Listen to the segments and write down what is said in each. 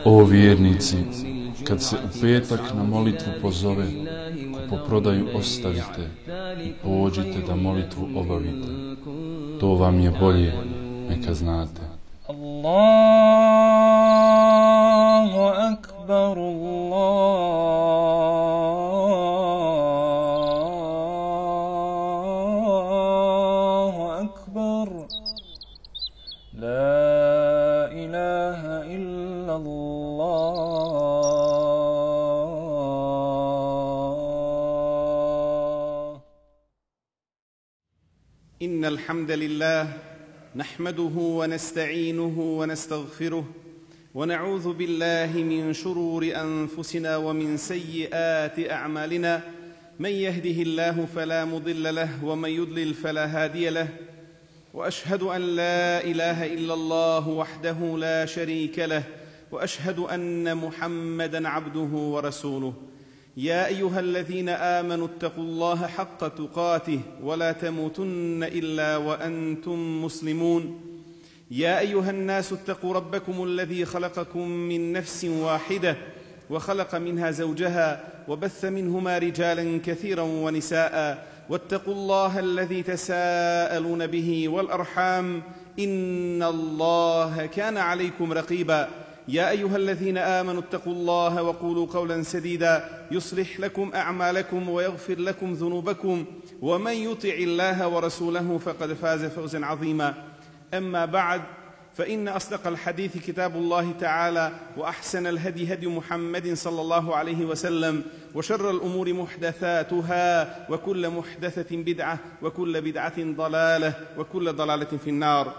O vjernici, kad se u petak na molitvu pozove, kupoprodaju ostavite i pođite da molitvu obavite. To vam je bolje, neka znate. Allahu akbar, Allahu akbar, la ilaha illa Allah. Innal hamdalillah نحمده ونستعينه ونستغفره ونعوذ بالله من شرور أنفسنا ومن سيئات أعمالنا من يهده الله فلا مضل له ومن يضلل فلا هادي له وأشهد أن لا إله إلا الله وحده لا شريك له وأشهد أن محمدًا عبده ورسوله يا أيها الذين آمنوا اتقوا الله حق تقاته ولا تموتن إلا وأنتم مسلمون يا أيها الناس اتقوا ربكم الذي خلقكم من نفس واحدة وخلق منها زوجها وبث منهما رجالا كثيرا ونساء واتقوا الله الذي تساءلون به والأرحام إن الله كان عليكم رقيبا يا أيها الذين آمنوا اتقوا الله وقولوا قولا سديدا يصلح لكم أعمالكم ويغفر لكم ذنوبكم ومن يطع الله ورسوله فقد فاز فوزا عظيما أما بعد فإن أصدق الحديث كتاب الله تعالى وأحسن الهدي هدي محمد صلى الله عليه وسلم وشر الأمور محدثاتها وكل محدثة بدعة وكل بدعة ضلالة وكل ضلالة في النار.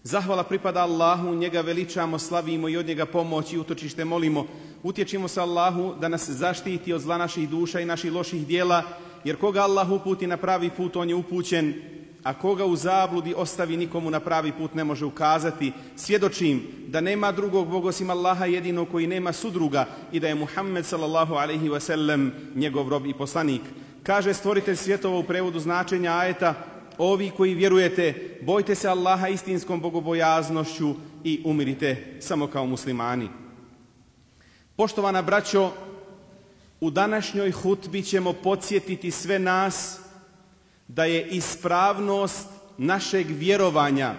Zahvala pripada Allahu, njega veličamo, slavimo i od njega pomoć i utočište molimo. Utječimo se Allahu da nas zaštiti od zla naših duša i naših loših dijela, jer koga Allah uputi na pravi put, on je upućen, a koga u zabludi ostavi, nikomu na pravi put ne može ukazati. Svjedočim da nema drugog Boga osim Allaha jedinog koji nema sudruga i da je Muhammed sallallahu alejhi ve sellem njegov rob i poslanik. Kaže stvoritelj svjetova u prevodu značenja ajeta: ovi koji vjerujete, bojte se Allaha istinskom bogobojaznošću i umirite samo kao muslimani. Poštovana braćo, u današnjoj hutbi ćemo podsjetiti sve nas da je ispravnost našeg vjerovanja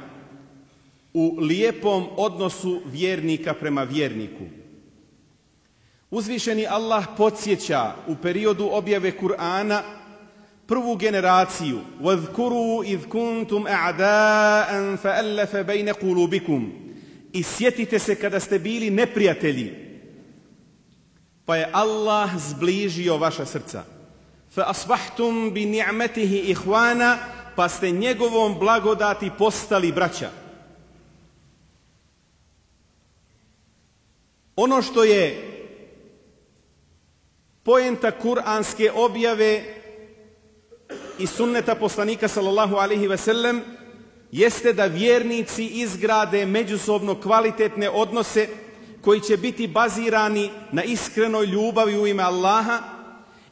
u lijepom odnosu vjernika prema vjerniku. Uzvišeni Allah podsjeća u periodu objave Kur'ana prvu generaciju: وَذْكُرُوا إِذْ كُنْتُمْ أَعْدَاءً فَأَلَّفَ بَيْنَ قُلُوبِكُمْ. I sjetite se kada ste bili neprijatelji, pa je Allah zbližio vaša srca. فَأَصْبَحْتُمْ بِنِعْمَتِهِ إِخْوَانًا. Pa ste njegovom blagodati postali braća. Ono što je poenta kuranske objave i sunneta poslanika sallallahu alejhi ve sellem jeste da vjernici izgrade međusobno kvalitetne odnose koji će biti bazirani na iskrenoj ljubavi u ime Allaha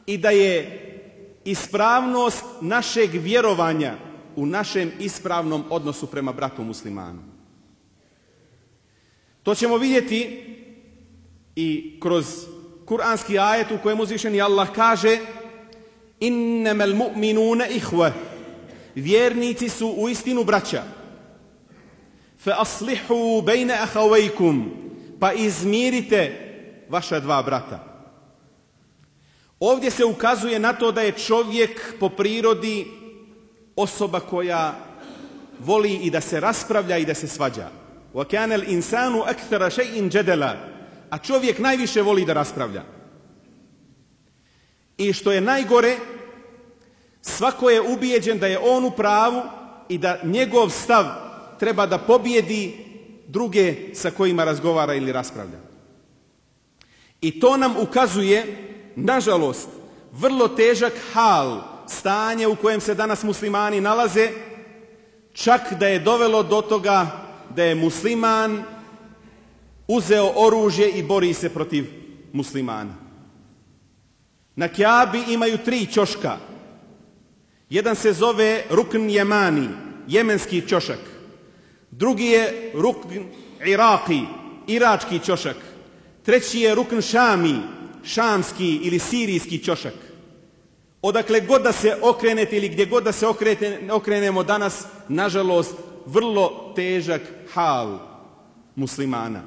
i da je ispravnost našeg vjerovanja u našem ispravnom odnosu prema bratu muslimanu. To ćemo vidjeti i kroz kuranski ajet u kojem uzvišeni Allah kaže: innamal mu'minuna ihwa. Vjernici su uistinu braća. Fa aslihu bayna akhawaykum. Pa izmirite vaša dva brata. Ovdje se ukazuje na to da je čovjek po prirodi osoba koja voli i da se raspravlja i da se svađa. Wa kana al-insanu akthara shay'in jadala. A čovjek najviše voli da raspravlja. I što je najgore, svako je ubijeđen da je on u pravu i da njegov stav treba da pobjedi druge sa kojima razgovara ili raspravlja. I to nam ukazuje, nažalost, vrlo težak hal, stanje u kojem se danas muslimani nalaze, čak da je dovelo do toga da je musliman uzeo oružje i bori se protiv muslimana. Na Kjabi imaju 3 ćoška. Jedan se zove Rukn Jemani, jemenski ćošak. Drugi je Rukn Iraki, irački ćošak, treći je rukn šami, šamski ili sirijski ćošak. Odakle god da se okrenete ili gdje god da se okrenemo danas, nažalost, vrlo težak hal muslimana.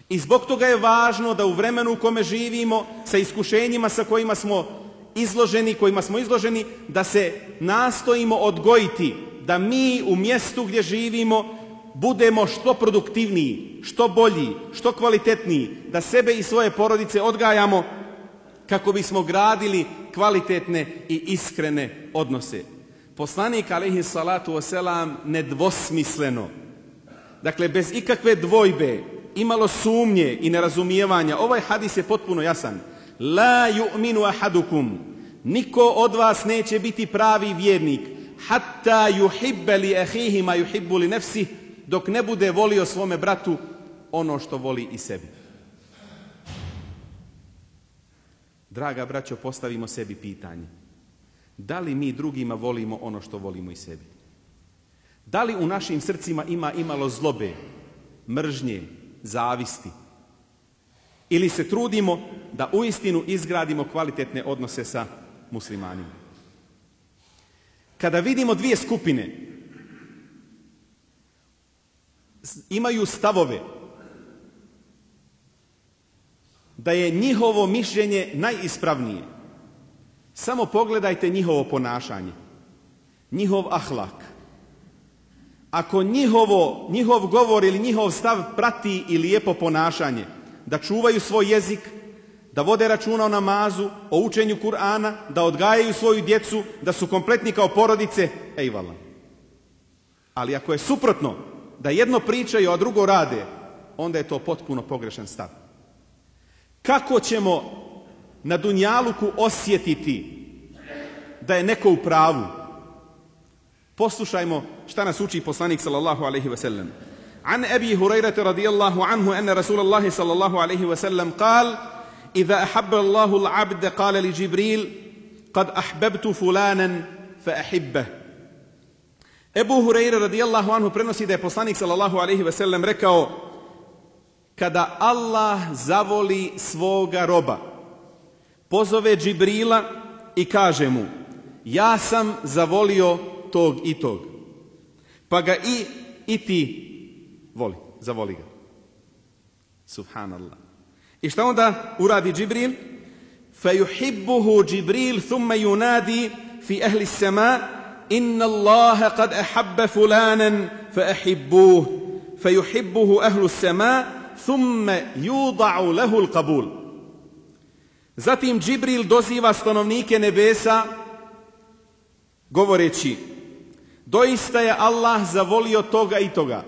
I zbog toga je važno da u vremenu u kome živimo, sa iskušenjima sa kojima smo izloženi, da se nastojimo odgojiti, da mi u mjestu gdje živimo budemo što produktivniji, što bolji, što kvalitetniji, da sebe i svoje porodice odgajamo kako bismo gradili kvalitetne i iskrene odnose. Poslanik alejhi salatu vesselam nedvosmisleno, dakle bez ikakve dvojbe, imalo sumnje i nerazumijevanja, ovaj hadis je potpuno jasan. La yu'minu ahadukum, niko od vas neće biti pravi vjernik, hatta yuhibba li ahihi ma yuhibbu li nafsihi, dok ne bude volio svome bratu ono što voli i sebi. Draga braćo, postavimo sebi pitanje. Da li mi drugima volimo ono što volimo i sebi? Da li u našim srcima ima imalo zlobe, mržnje, zavisti? Ili se trudimo da uistinu izgradimo kvalitetne odnose sa muslimanima? Kada vidimo dvije skupine, imaju stavove da je njihovo mišljenje najispravnije, samo pogledajte njihovo ponašanje, njihov ahlak. Ako njihov govor ili njihov stav prati i lijepo ponašanje, da čuvaju svoj jezik, da vode računa o namazu, o učenju Kur'ana, da odgajaju svoju djecu, da su kompletni kao porodice, ejvallah. Ali ako je suprotno, da jedno pričaju, a drugo rade, onda je to potpuno pogrešan stav. Kako ćemo na dunjaluku osjetiti da je neko u pravu? Poslušajmo šta nas uči poslanik sallallahu alejhi ve sellem. An Abi Hurajrata radijallahu anhu anna Rasulullah sallallahu alejhi ve sellem قال: إذا أحب الله العبد قال لجبريل قد أحببت فلانا فأحبه. Ebu Hurajra radijallahu anhu prenosi da je poslanik sallallahu alejhi ve sellem rekao: kada Allah zavoli svoga roba, pozove Džibrila i kaže mu: ja sam zavolio tog i tog, pa ga i ti voli, zavoli ga. Subhanallah. I šta onda uradi Džibril? فَيُحِبُّهُ Džibril ثُمَّ يُنَادِي فِي أَهْلِ السَّمَاءِ إِنَّ اللَّهَ قَدْ أَحَبَّ فُلَانًا فَأَحِبُّوهُ فَيُحِبُّهُ أَهْلُ السَّمَاءِ ثُمَّ يُوضَعُ لَهُ الْقَبُولِ. Zatim Džibril doziva stanovnike nebesa govoreći: doista je Allah zavolio toga i toga,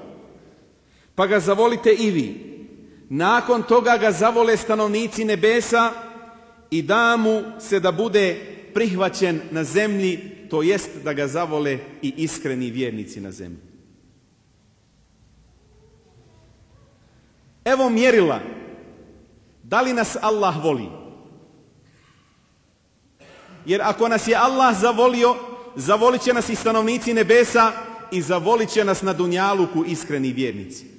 pa ga zavolite i vi. Nakon toga ga zavole stanovnici nebesa i da mu se da bude prihvaćen na zemlji, to jest da ga zavole i iskreni vjernici na zemlji. Evo mjerila, da li nas Allah voli? Jer ako nas je Allah zavolio, zavolit će nas i stanovnici nebesa i zavolit će nas na dunjaluku iskreni vjernici.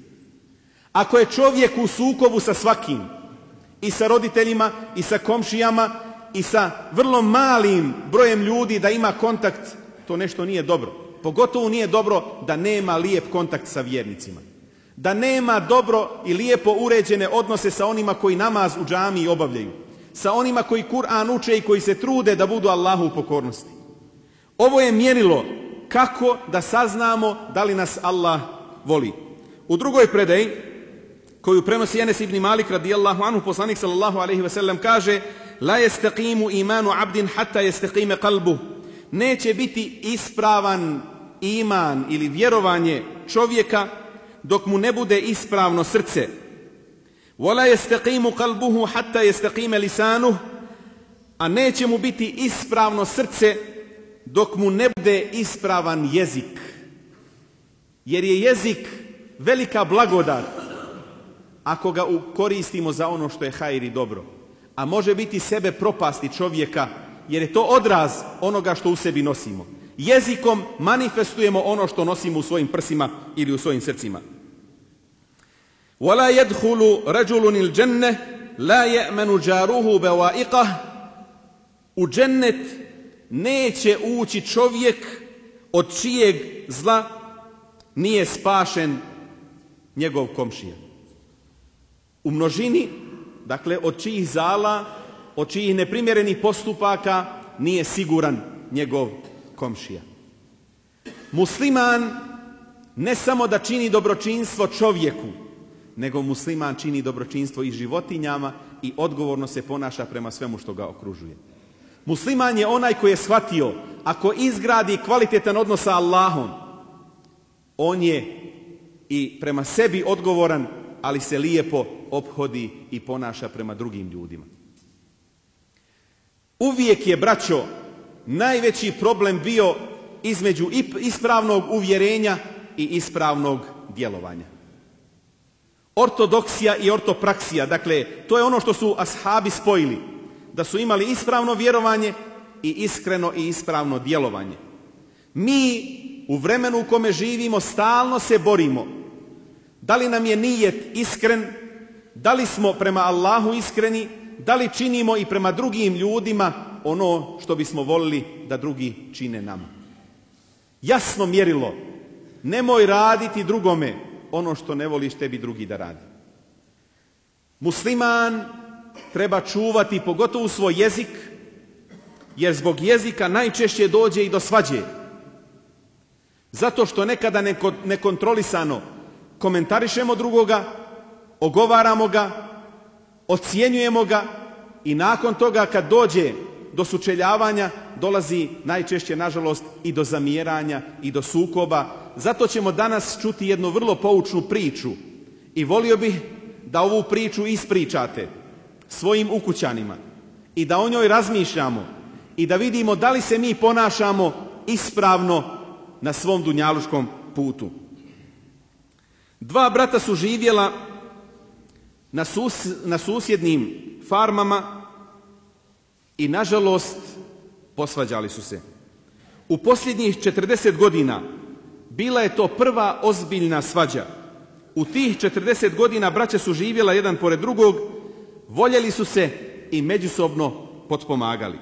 Ako je čovjek u sukobu sa svakim, i sa roditeljima, i sa komšijama, i sa vrlo malim brojem ljudi da ima kontakt, to nešto nije dobro. Pogotovo nije dobro da nema lijep kontakt sa vjernicima. Da nema dobro i lijepo uređene odnose sa onima koji namaz u džamiji obavljaju. Sa onima koji Kur'an uče i koji se trude da budu Allahu u pokornosti. Ovo je mjerilo kako da saznamo da li nas Allah voli. U drugoj predaji, koju prenosi Enes ibn Malik radijallahu anhu, poslanik sallallahu alejhi ve sellem kaže: la yastaqimu imanu abdin hatta yastaqima qalbuhu. Neće biti ispravan iman ili vjerovanje čovjeka dok mu ne bude ispravno srce. Wala yastaqimu qalbuhu hatta yastaqima lisanuhu. A neće mu biti ispravno srce dok mu ne bude ispravan jezik. Jer je jezik velika blagodat ako ga koristimo za ono što je hajr i dobro. A može biti sebe propasti čovjeka, jer je to odraz onoga što u sebi nosimo. Jezikom manifestujemo ono što nosimo u svojim prsima ili u svojim srcima. وَلَا يَدْخُلُ رَجُلٌ الْجَنَّةِ لَا يَأْمَنُ جَارُهُ بَوَائِقَهُ. U džennet neće ući čovjek od čijeg zla nije spašen njegov komšija. U množini, dakle, od čijih zala, od čijih neprimjerenih postupaka nije siguran njegov komšija. Musliman ne samo da čini dobročinstvo čovjeku, nego musliman čini dobročinstvo i životinjama i odgovorno se ponaša prema svemu što ga okružuje. Musliman je onaj koji je shvatio, ako izgradi kvalitetan odnos sa Allahom, on je i prema sebi odgovoran, ali se lijepo ophodi i ponaša prema drugim ljudima. Uvijek je, braćo, najveći problem bio između ispravnog uvjerenja i ispravnog djelovanja. Ortodoksija i ortopraksija, dakle, to je ono što su ashabi spojili, da su imali ispravno vjerovanje i iskreno i ispravno djelovanje. Mi u vremenu u kome živimo stalno se borimo. Da li nam je nijet iskren, da li smo prema Allahu iskreni, da li činimo i prema drugim ljudima ono što bismo volili da drugi čine nama. Jasno mjerilo, nemoj raditi drugome ono što ne voliš tebi drugi da radi. Musliman treba čuvati pogotovo svoj jezik, jer zbog jezika najčešće dođe i do svađe. Zato što nekada nekontrolisano komentarišemo drugoga, ogovaramo ga, ocjenjujemo ga i nakon toga kad dođe do sučeljavanja dolazi najčešće, nažalost, i do zamjeranja i do sukoba. Zato ćemo danas čuti jednu vrlo poučnu priču i volio bih da ovu priču ispričate svojim ukućanima i da o njoj razmišljamo i da vidimo da li se mi ponašamo ispravno na svom dunjaluškom putu. Dva brata su živjela na susjednim farmama i nažalost posvađali su se. U posljednjih 40 godina bila je to prva ozbiljna svađa. U tih 40 godina braća su živjela jedan pored drugog, voljeli su se i međusobno potpomagali.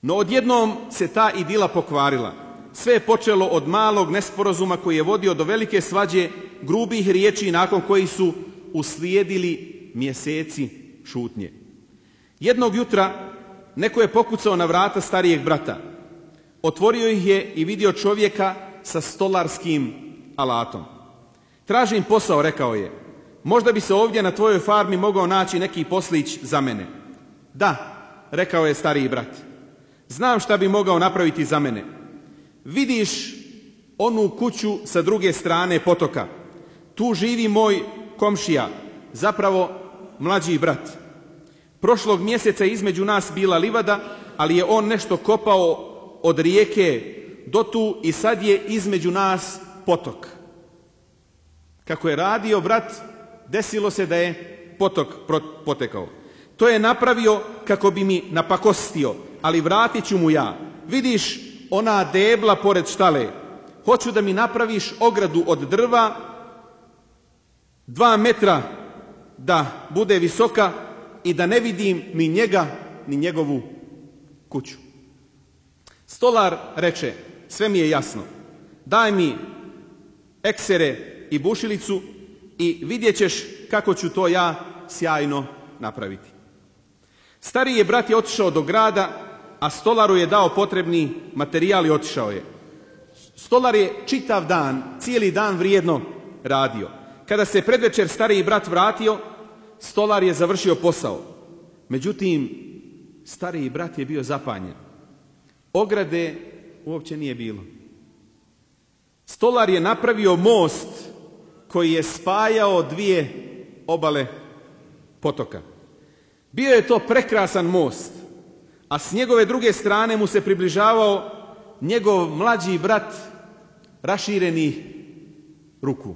No odjednom se ta idila pokvarila. Sve je počelo od malog nesporazuma koji je vodio do velike svađe, grubih riječi nakon kojih su uslijedili mjeseci šutnje. Jednog jutra neko je pokucao na vrata starijeg brata. Otvorio ih je i vidio čovjeka sa stolarskim alatom. Tražim posao, rekao je. Možda bi se ovdje na tvojoj farmi mogao naći neki poslić za mene. Da, rekao je stariji brat. Znam šta bi mogao napraviti za mene. Vidiš onu kuću sa druge strane potoka. Tu živi moj komšija, zapravo mlađi brat. Prošlog mjeseca između nas bila livada, ali je on nešto kopao od rijeke do tu i sad je između nas potok. Kako je radio brat, desilo se da je potok potekao. To je napravio kako bi mi napakostio, ali vratit ću mu ja. Vidiš ona debla pored štale, hoću da mi napraviš ogradu od drva 2 metra da bude visoka i da ne vidim ni njega ni njegovu kuću. Stolar reče, sve mi je jasno, daj mi eksere i bušilicu i vidjet ćeš kako ću to ja sjajno napraviti. Stariji brat je otišao do grada, a stolaru je dao potrebni materijal i otišao je. Stolar je čitav dan, cijeli dan vrijedno radio. Kada se predvečer stariji brat vratio, stolar je završio posao. Međutim, stariji brat je bio zapanjen. Ograde uopće nije bilo. Stolar je napravio most koji je spajao 2 obale potoka. Bio je to prekrasan most, a s njegove druge strane mu se približavao njegov mlađi brat raširenih ruku.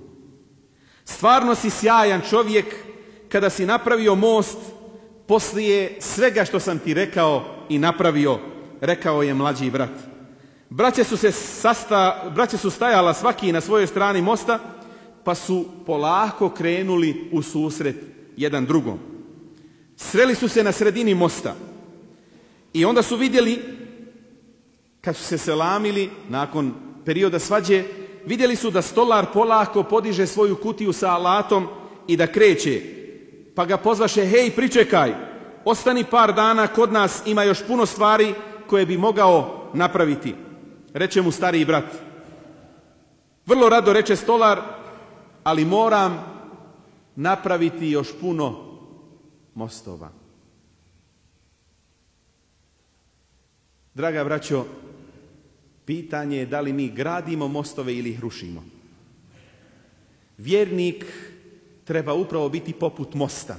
Stvarno si sjajan čovjek kada si napravio most poslije svega što sam ti rekao i napravio, rekao je mlađi brat. Braća su stajala svaki na svojoj strani mosta pa su polako krenuli u susret jedan drugom. Sreli su se na sredini mosta i onda su vidjeli, kad su se selamili nakon perioda svađe, vidjeli su da stolar polako podiže svoju kutiju sa alatom i da kreće. Pa ga pozvaše: hej, pričekaj, ostani par dana kod nas, ima još puno stvari koje bi mogao napraviti. Reče mu stariji brat: vrlo rado, reče stolar, ali moram napraviti još puno mostova. Draga braćo, pitanje je da li mi gradimo mostove ili ih rušimo. Vjernik treba upravo biti poput mosta.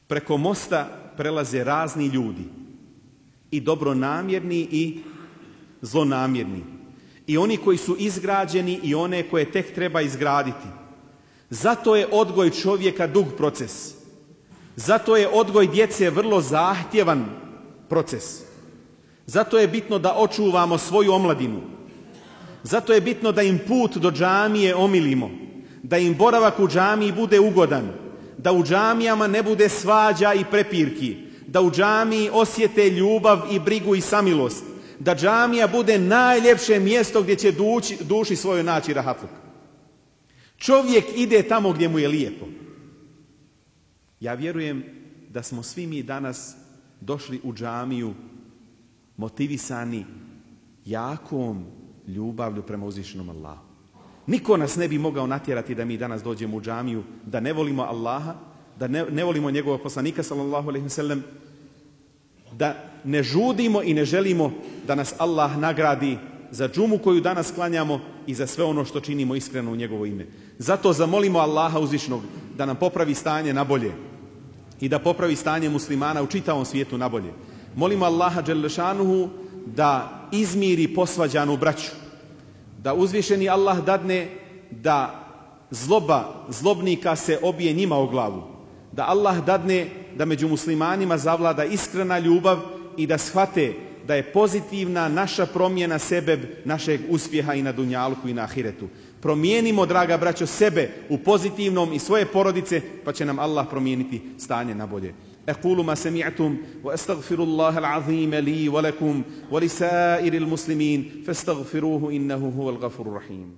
Preko mosta prelaze razni ljudi, i dobronamjerni i zlonamjerni, i oni koji su izgrađeni i one koje tek treba izgraditi. Zato je odgoj čovjeka dug proces. Zato je odgoj djece vrlo zahtjevan proces. Zato je bitno da očuvamo svoju omladinu. Zato je bitno da im put do džamije omilimo, da im boravak u džamiji bude ugodan, da u džamijama ne bude svađa i prepirki, da u džamiji osjete ljubav i brigu i samilost, da džamija bude najljepše mjesto gdje će duši svojoj naći rahatluk. Čovjek ide tamo gdje mu je lijepo. Ja vjerujem da smo svi mi danas došli u džamiju motivisani jakom ljubavlju prema uzvišenom Allahu. Niko nas ne bi mogao natjerati da mi danas dođemo u džamiju, da ne volimo Allaha, da ne volimo njegovog poslanika sallallahu alejhi ve sellem, da ne žudimo i ne želimo da nas Allah nagradi za džumu koju danas klanjamo i za sve ono što činimo iskreno u njegovo ime. Zato zamolimo Allaha uzvišnog da nam popravi stanje na bolje i da popravi stanje muslimana u čitavom svijetu na bolje. Molimo Allaha dželle šanuhu da izmiri posvađanu braću, da uzvišeni Allah dadne da zloba zlobnika se obije njima o glavu, da Allah dadne da među muslimanima zavlada iskrena ljubav i da shvate da je pozitivna naša promjena sebeb našeg uspjeha i na dunjalku i na ahiretu. Promijenimo, draga braćo, sebe u pozitivnom i svoje porodice, pa će nam Allah promijeniti stanje na bolje. أقول ما سمعتم وأستغفر الله العظيم لي ولكم ولسائر المسلمين فاستغفروه إنه هو الغفور الرحيم.